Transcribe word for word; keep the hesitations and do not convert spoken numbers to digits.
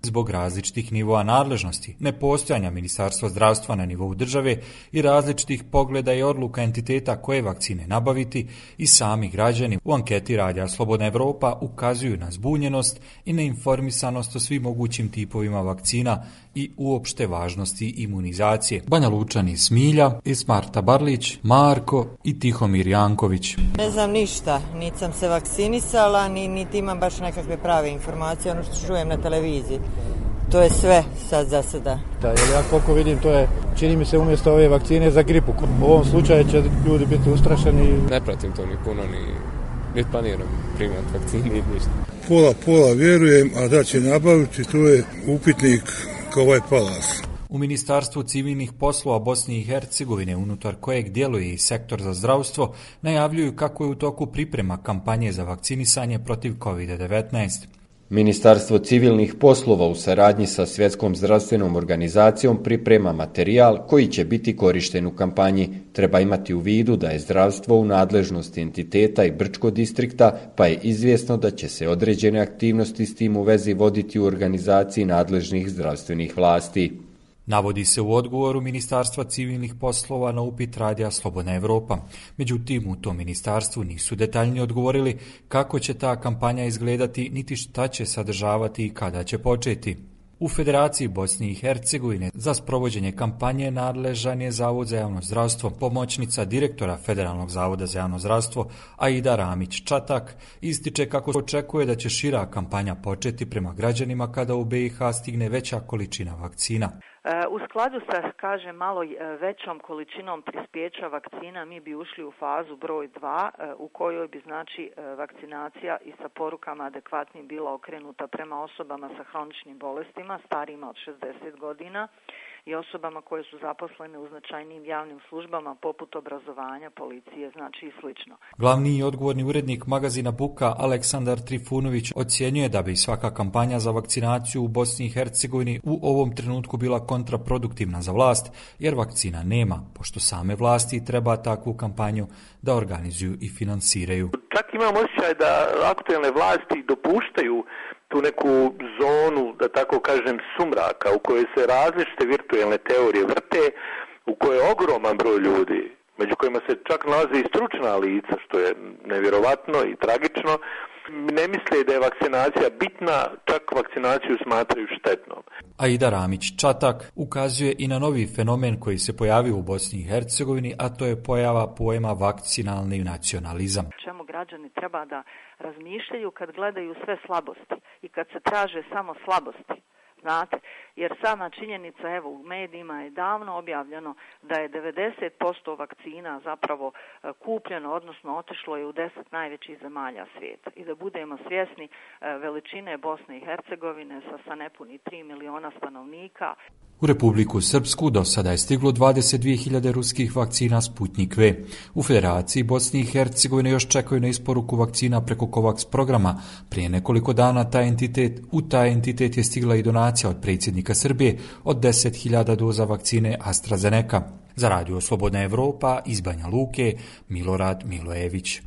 Zbog različitih nivoa nadležnosti, nepostojanja Ministarstva zdravstva na nivou države i različitih pogleda i odluka entiteta koje vakcine nabaviti, i sami građani u anketi Radija Slobodna Evropa ukazuju na zbunjenost i neinformisanost o svim mogućim tipovima vakcina i uopšte važnosti imunizacije. Banja Lučani Smilja, Ismarta Barlić, Marko i Tihomir Janković. Ne znam ništa, niti sam se vakcinisala, ni, niti imam baš nekakve prave informacije, ono što čujem na televiziji. To je sve sad za sada. Da, jer ja koliko vidim, to je, čini mi se, umjesto ove vakcine za gripu. U ovom slučaju će ljudi biti ustrašeni. Ne pratim to ni puno, ni, ni planiram primati vakcini, ni ništa. Pola, pola vjerujem, a da će nabaviti, to je upitnik kao ovaj Palas. U Ministarstvu civilnih poslova Bosne i Hercegovine, unutar kojeg djeluje i sektor za zdravstvo, najavljuju kako je u toku priprema kampanje za vakcinisanje protiv kovid devetnaest. Ministarstvo civilnih poslova u saradnji sa Svjetskom zdravstvenom organizacijom priprema materijal koji će biti korišten u kampanji. Treba imati u vidu da je zdravstvo u nadležnosti entiteta i Brčko distrikta, pa je izvjesno da će se određene aktivnosti s tim u vezi voditi u organizaciji nadležnih zdravstvenih vlasti. Navodi se u odgovoru Ministarstva civilnih poslova na upit Radija Slobodna Evropa. Međutim, u tom ministarstvu nisu detaljnije odgovorili kako će ta kampanja izgledati, niti šta će sadržavati i kada će početi. U Federaciji Bosne i Hercegovine za sprovođenje kampanje nadležan je Zavod za javno zdravstvo. Pomoćnica direktora Federalnog zavoda za javno zdravstvo Aida Ramić-Čatak ističe kako očekuje da će šira kampanja početi prema građanima kada u B i H stigne veća količina vakcina. U skladu sa, kažem, malo većom količinom prispjeća vakcina mi bi ušli u fazu broj dva u kojoj bi, znači, vakcinacija i sa porukama adekvatnim bila okrenuta prema osobama sa hroničnim bolestima, starijima od šezdeset godina i osobama koje su zaposlene u značajnim javnim službama poput obrazovanja, policije, znači i slično. Glavni i odgovorni urednik magazina Buka Aleksandar Trifunović ocjenjuje da bi svaka kampanja za vakcinaciju u Bosni i Hercegovini u ovom trenutku bila kontraproduktivna za vlast, jer vakcina nema, pošto same vlasti treba takvu kampanju da organizuju i finansiraju. Čak imam osjećaj da aktuelne vlasti dopuštaju tu neku zonu, da tako kažem, sumraka, u kojoj se različite virtualne teorije vrte, u kojoj je ogroman broj ljudi, među kojima se čak nalaze i stručna lica, što je nevjerovatno i tragično, ne misle da je vakcinacija bitna, čak vakcinaciju smatraju štetnom. Aida Ramić-Čatak ukazuje i na novi fenomen koji se pojavio u Bosni i Hercegovini, a to je pojava pojma vakcinalni nacionalizam. Čemu građani treba da razmišljaju kad gledaju sve slabosti i kad se traže samo slabosti. Znate, jer sama činjenica, evo, u medijima je davno objavljeno da je devedeset posto vakcina zapravo kupljeno, odnosno otišlo je u deset najvećih zemalja svijeta. I da budemo svjesni veličine Bosne i Hercegovine sa, sa nepuni tri miliona stanovnika. U Republiku Srpsku do sada je stiglo dvadeset dvije hiljade ruskih vakcina Sputnik V. U Federaciji Bosne i Hercegovine još čekaju na isporuku vakcina preko COVAX programa. Prije nekoliko dana taj entitet, u taj entitet je stigla i donacija od predsjednika Srbije od deset hiljada doza vakcine AstraZeneca. Za Radio Slobodna Evropa iz Banja Luke, Milorad Milojević.